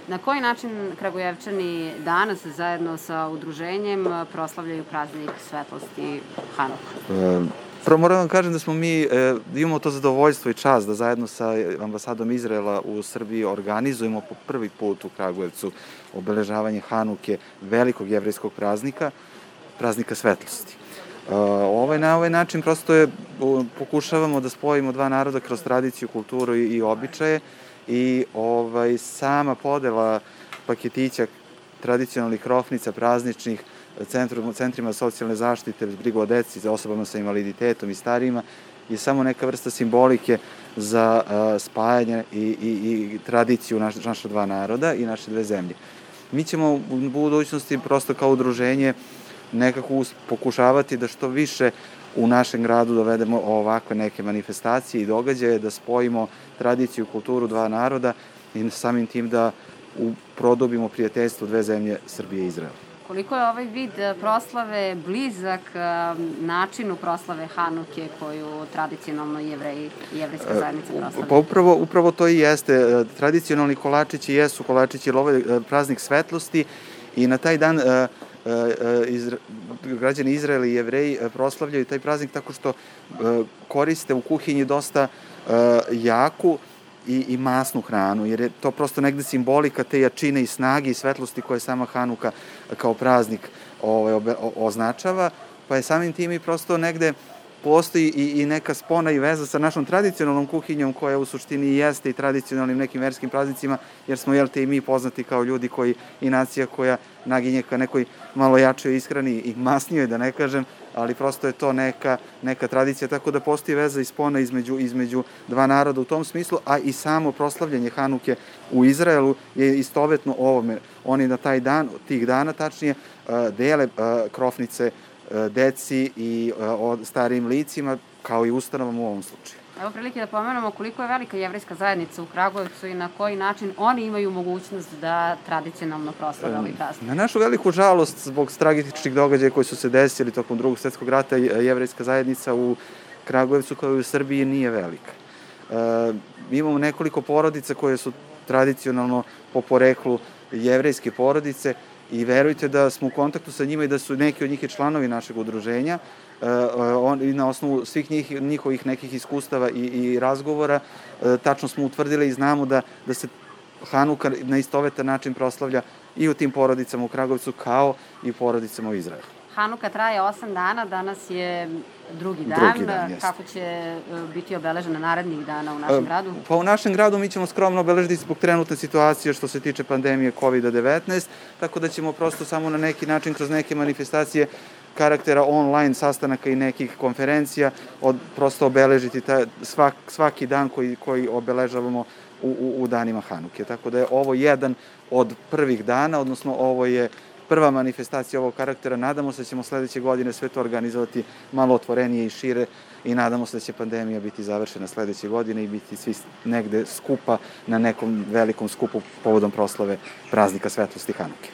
Na koji način Kragujevčani danas zajedno sa udruženjem proslavljaju praznik svetlosti Hanuku? Prvo moram vam kažem da smo mi, imamo to zadovoljstvo i čast da zajedno sa ambasadom Izraela u Srbiji organizujemo po prvi put u Kragujevcu obeležavanje Hanuke, velikog jevrejskog praznika, praznika svetlosti. Na ovaj način prosto pokušavamo da spojimo dva naroda kroz tradiciju, kulturu i običaje i sama podela paketića tradicionalnih krofnica, prazničnih, centrima socijalne zaštite, brigu o deci, za osobama sa invaliditetom i starijima je samo neka vrsta simbolike za spajanje i tradiciju naša dva naroda i naše dve zemlje. Mi ćemo u budućnosti prosto kao udruženje nekako pokušavati da što više u našem gradu dovedemo ovakve neke manifestacije i događaje, da spojimo tradiciju i kulturu dva naroda i samim tim da produbimo prijateljstvo dve zemlje, Srbije i Izraela. Koliko je ovaj vid proslave blizak načinu proslave Hanuke koju tradicionalno jevrejska zajednica proslavlja? Pa upravo to i jeste. Tradicionalni kolačići jesu kolačići, jer ovo je praznik svetlosti i na taj dan građani Izraela i Jevreji proslavljaju taj praznik tako što koriste u kuhinji dosta jaku i masnu hranu, jer je to prosto negde simbolika te jačine i snage i svetlosti koje sama Hanuka kao praznik označava, pa je samim tim i prosto negde postoji i neka spona i veza sa našom tradicionalnom kuhinjom koja u suštini jeste i tradicionalnim nekim verskim praznicima, jer smo i mi poznati kao ljudi koji i nacija koja naginje ka nekoj malo jačoj ishrani i masnijoj, da ne kažem, ali prosto je to neka tradicija, tako da postoji veza i spona između dva naroda u tom smislu, a i samo proslavljanje Hanuke u Izraelu je istovetno ovome. Oni na taj dan, tih dana tačnije, dele krofnice deci i starijim licima, kao i ustanovama u ovom slučaju. Evo prilike da pomenemo koliko je velika jevrejska zajednica u Kragujevcu i na koji način oni imaju mogućnost da tradicionalno proslave ovaj praznik. Na našu veliku žalost, zbog tragičnih događaja koji su se desili tokom Drugog svetskog rata, jevrejska zajednica u Kragujevcu kao i u Srbiji nije velika. Imamo nekoliko porodica koje su tradicionalno po poreklu jevrejske porodice i verujte da smo u kontaktu sa njima i da su neki od njih i članovi našeg udruženja. Na osnovu svih njihovih nekih iskustava i razgovora tačno smo utvrdili i znamo da se Hanuka na istovetan način proslavlja i u tim porodicama u Kragujevcu kao i u porodicama u Izraelu. Hanuka traje 8 dana, danas je drugi dan. Kako će biti obeležena narednih dana u našem gradu? Pa u našem gradu mi ćemo skromno obeležiti zbog trenutne situacije što se tiče pandemije COVID-19, tako da ćemo prosto samo na neki način kroz neke manifestacije karaktera online sastanaka i nekih konferencija prosto obeležiti svaki dan koji obeležavamo u danima Hanuke. Tako da je ovo jedan od prvih dana, odnosno ovo je prva manifestacija ovog karaktera. Nadamo se da ćemo sledeće godine sve to organizovati malo otvorenije i šire i nadamo se da će pandemija biti završena sledeće godine i biti svi negde skupa na nekom velikom skupu povodom proslave praznika svetlosti Hanuke.